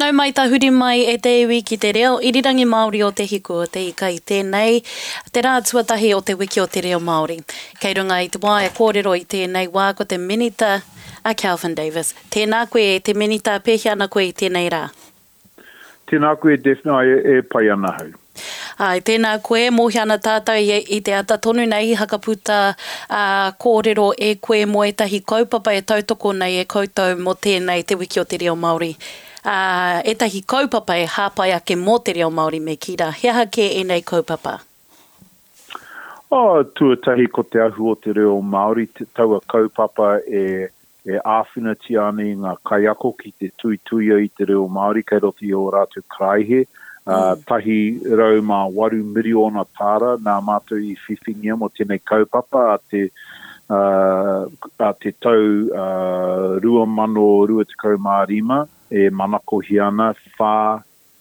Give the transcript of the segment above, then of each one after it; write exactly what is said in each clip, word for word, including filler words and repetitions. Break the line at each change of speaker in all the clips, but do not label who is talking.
Nau mai tahuri mai e te iwi ki te reo irirangi Māori o Te Hiku o Te Ika i tēnei, te rā tuatahi o te wiki o te reo Māori. Kei runga i te wā e kōrero i tēnei wā ko te minita a Kelvin Davis. Tēnā koe e te minita, pēhea ana koe i tēnei rā?
Tēnā koe Daphne, e, e pai ana hau.
Ai, tēnā koe, mōhio ana tātou i, i te ata tonu nei i hakaputa ā, kōrero e koe mō ētahi kaupapa e tautoko nei e koutou mō tēnei te wiki o te reo Māori. Ā, ētahi kaupapa e hāpai ake mō te reo Māori me kī rā. He aha kē ēnei kaupapa?
Oh, tuatahi ko te ahu o te reo Māori, te, taua kaupapa e, e āwhinatia ana i ngā kaiako ki te tuituia i te reo Māori kei roto i ō rātou karaihe. Uh, tahi rau mā waru miriona tāra nā mātou i whiwhingia mō tēnei kaupapa a te, uh, a te tau uh, rua mano rua tekau mā rima e manakohia ana whā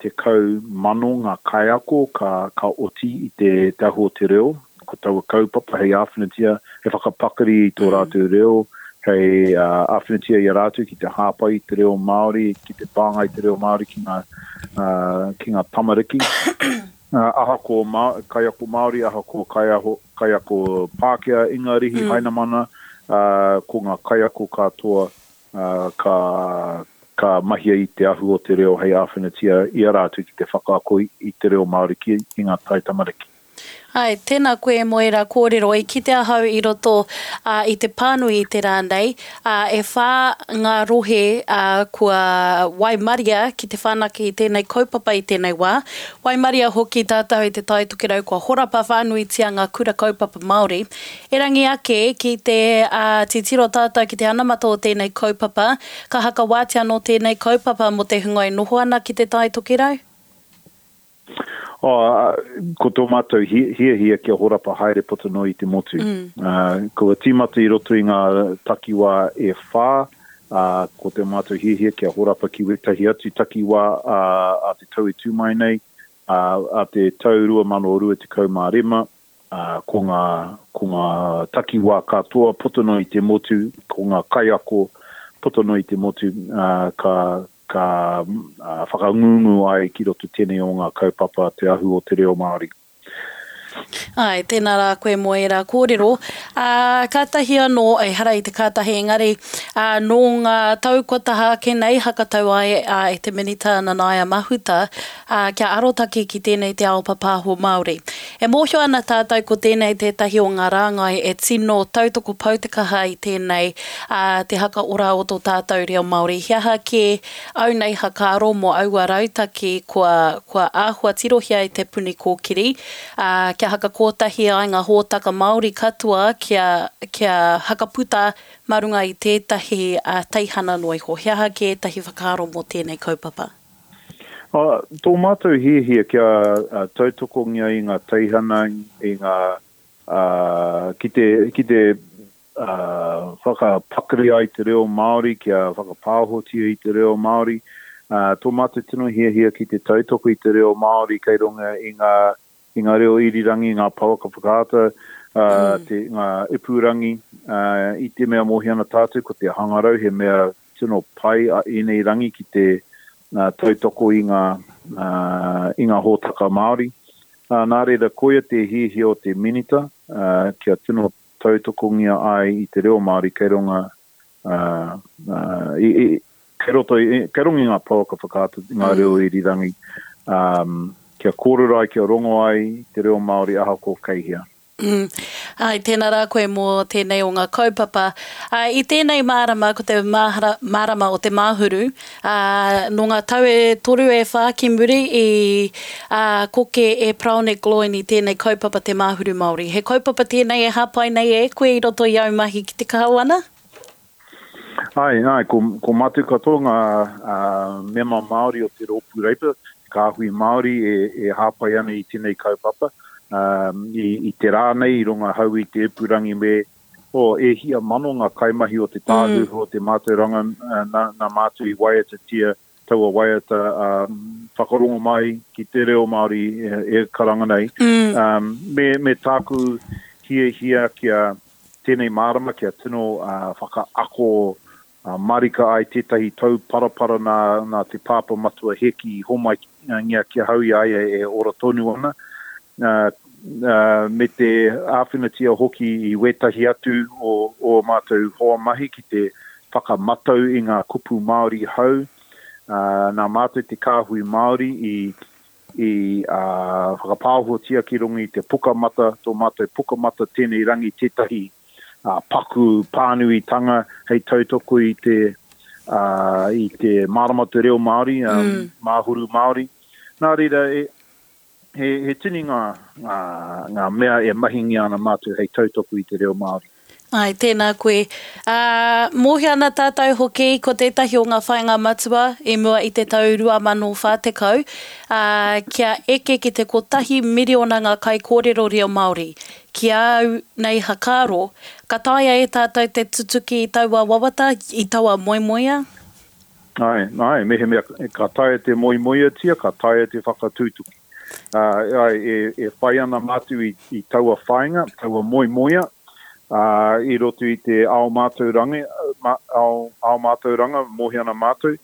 tekau mano ngā kaiako ka, ka oti i te, te ahu o te reo. Ko taua kaupapa hei āwhinatia, hei whakapakari i tō rātou reo, hei uh, āwhinatia i a rātou ki te hāpai i te reo Māori, ki te pānga i te reo Māori ki ngā, uh, ki ngā tamariki. Uh, ahako ma, kaiako Māori, ahako kaiaho, kaiako Pākehā, Ingarihi, mm. Hainamana, uh, ko ngā kaiako katoa uh, ka, ka mahia i te ahu o te reo hei āwhinatia i a rātou ki te whakaako i, i te reo Māori ki, ki ngā tai tamariki.
Ai, tēnā koe mō ērā kōrero i kite ahau i roto uh, i te pānui i te rā nei, uh, e whā ngā rohe uh, kua waimaria ki te whanake i tēnei kaupapa i tēnei wā. Waimaria hoki tātou i te Tai Tokerau kua horapa whānuitia ngā kura kaupapa Māori. Erangi ake ki te uh, titiro tātou ki te anamata o tēnei kaupapa, ka hakawātia anō tēnei kaupapa mō te hunga e noho ana ki te Tai Tokerau?
Oh, ko tō mātou hiahia kia horapa haere puta noa i te motu. Mm. Uh, kua tīmata i roto i ngā takiwā e whā, uh, ko te mātou hiahia kia horapa ki wētahi atu takiwā uh, a te tau e tū mai nei, uh, a te tau rua mano rua tekau mā rima, uh, ko ngā, ko ngā takiwā katoa puta noa i te motu, ko ngā kaiako puta noa i te motu, uh, ka ka uh, whakangungu ai ki roto tēnei o ngā kaupapa te ahu o te reo Māori.
Ai, tēnā rā koe mō ērā kōrero. Uh, kātahi anō, ehara i te kātahi engari, uh, nō ngā tau kua taha ake nei hakatau ai uh, e te minita Nanaia Mahuta uh, kia arotake ki tēnei te ao papāho Māori. E mōhio ana tātou ko tēnei tētahi o ngā rāngai e tino tautoko pautekaha i tēnei uh, te haka ora o tō tātou reo Māori. He aha kē au nei hakaaro mō aua rautaki kua, kua āhua tirohia i te Puni Kōkiri, uh, kia hakakotahi ai ngā hōtaka Māori katoa kia, kia hakaputa mā runga i tētahi uh, teihana noa iho. He aha kē ētahi whakaaro mō tēnei kaupapa?
Uh, tō mātou hiahia kia uh, tautokongia i ngā teihana, i ngā, uh, ki te, ki te uh, whakapakari ai te reo Māori, kia whakapāhotia i te reo Māori. Uh, tō mātou tino hiahia ki te tautoko i te reo Māori kei runga i ngā i ngā reo irirangi, ngā pouaka whakaata, uh, mm. te, ngā ipurangi, uh, i te mea mōhio ana tātou, ko te hangarau he mea tino pai a ēnei rangi ki te uh, tautoko i ngā, uh, i ngā hōtaka Māori. Uh, nā reira, koia te hiahia o te minita, uh, kia tino tautokongia ai i te reo Māori kei runga, uh, uh, i, i, kei roto, i, kei runga i ngā pouaka whakaata, ngā mm. reo irirangi, um, kia kōrero ai, kia rongo ai te reo Māori ahako kei hea.
Mm. Ai, tēnā rā koe mō tēnei o ngā kaupapa. Uh, i tēnei mārama, ko te mahara, mārama o te Māhuru, uh, nō ngā tau e toru e whā ki muri i uh, koke e Paraone Gloyne i tēnei kaupapa te Māhuru Māori. He kaupapa tēnei e hāpai nei e koe i roto i au mahi ki te kāwana?
Ai, ai, ko, ko mātou katoa ngā uh, mema Māori o te rōpū Reipa, te kāhui Māori e, e hāpai ana i tēnei kaupapa. Um, i, i te rā nei, i runga hau i te ipurangi me oh, e hia mano ngā kaimahi o te tāhuhu mm. o te mātauranga nā, nā mātou i waiatatia taua waiata um, whakarongo mai ki te reo Māori e, e karanga nei. Mm. Um, me, me tāku hiahia kia tēnei mārama, kia tino uh, whakaako Marika ai tētahi tauparapara nā, nā te pāpā matua Heki i homai ngia ki ahau i a ia e ora tonu ana, uh, uh, me te āwhinatia hoki i wētahi atu o ō mātou hoa mahi ki te whakamatau i ngā kupu Māori hou. Uh, nā mātou te kāhui Māori i, i uh, whakapāhotia ki runga i te pukamata, tō mātou pukamata tēnei rangi tētahi uh, paku pānuitanga hei tautoko i te, uh, i te mārama te reo Māori, um, mm. Māhuru Māori. Nā reira, e, he, he tini ngā, ngā, ngā mea e mahingia ana mātou hei tautoko i te reo Māori.
Ai, tēnā koe. Uh, mōhio ana tātou hoki ko tētahi o ngā whāinga matua i mua i te tau rua mano whā tekau, uh, kia eke ki te kotahi miriona ngā kaikōrero reo Māori. Ki au nei hakaaro, ka taea e tātou te tutuki i taua wawata, i taua moemoea?
Ai, ai, mehemea ka taea te moemoeatia, ka taea te whakatutuki. Uh, ai, e, e whai ana mātou i, i taua whāinga, taua moemoea, Uh, i roto i te ao mātauranga, ma, ao, ao mātauranga, mōhio ana mātou,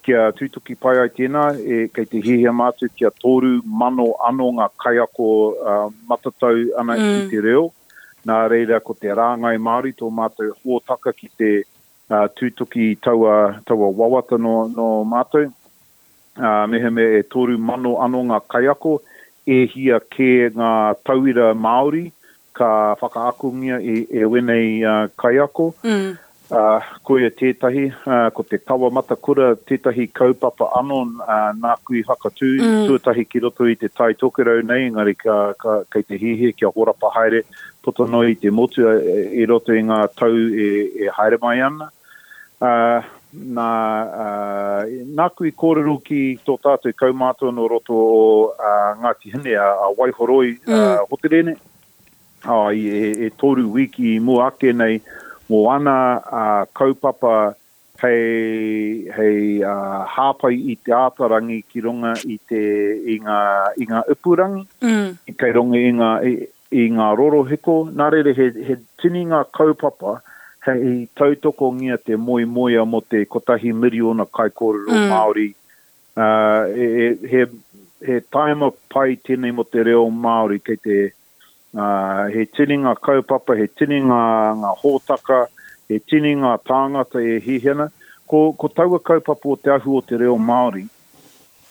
kia tutuki pai ai tēnā, e, kei te hiahia mātou kia toru mano anō ngā kaiako uh, matatau ana mm. ki te reo. Nā reira ko te rāngai Māori tō mātou hōtaka ki te uh, tutuki taua, taua wawata no, no mātou. Uh, mehemea e toru mano anō ngā kaiako, e hia kē ngā tauira Māori, ka whakaakongia e, e wenei uh, kaiako.
Mm.
Uh, koia tētahi, uh, ko te Kawa Matakura tētahi kaupapa anō uh, nāku i whakatū, mm. tuatahi ki roto i te Tai Tokerau nei, engari ka, ka, kei te hiahia kia horapa haere puta noa i te motu i roto i ngā tau e, e haere mai ana. Uh, nā, uh, nāku i kōrero ki tō tātou kaumātua no roto o uh, Ngāti Hine, a, a Waihoroi mm. uh, Hoterene, Oh, i, e, e toru wiki i mua ake nei mō ana uh, kaupapa hei, hei uh, hāpai i te ātarangi ki runga i, te, i, ngā, i ngā ipurangi,
mm.
kei runga i ngā, i, i ngā rorohiko. Nā reira, he, he tini ngā kaupapa hei tautokongia te moemoea mō te kotahi miriona kaikōrero mm. Māori. Uh, e, he, he taima pai tēnei mō te reo Māori kei te Uh, he tini ngā kaupapa, he tini ngā, ngā hōtaka, he tini ngā tāngata e hiahia ana. Ko, ko taua kaupapa o te ahu o te reo Māori,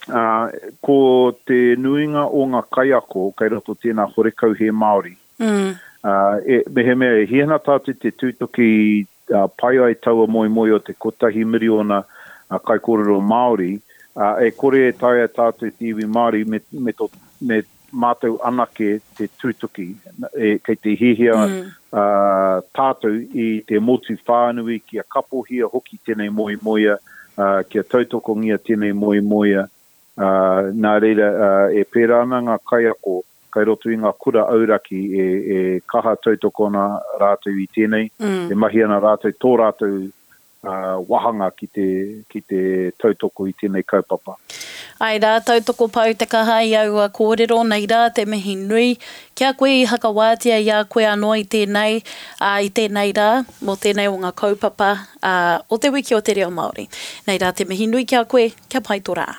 uh, ko te nuinga o ngā kaiako kei roto tēnā horekau he Māori.
Mm.
Uh, e, mehemea e hiahia ana tātou te tūtoki uh, pai ai taua moemoe o te kotahi miriona uh, kaikōrero Māori, uh, e kore e taea tātou te iwi Māori me, me, to, me mātou anake te tūtuki, e, kei te hiahia
mm.
uh, tātou i te motu whānui kia kapohia hoki tēnei moemoea, uh, kia tautokongia tēnei moemoea. Uh, nā reira, uh, e pērā ana ngā kaiako, kai roto i ngā kura auraki e, e kaha tautoko ana rātou i tēnei,
mm.
e mahi ana rātou tō rātou uh, wahanga ki te, ki te tautoko i tēnei kaupapa.
Ai rā, tautoko pau te kaha i aua kōrero, nei rā te mihi nui. Kia koe i hakawātia i a koe anō i tēnei, uh, i tēnei rā, mō tēnei o ngā kaupapa uh, o te wiki o te reo Māori. Nei rā te mihi nui kia koe, kia pai tō rā.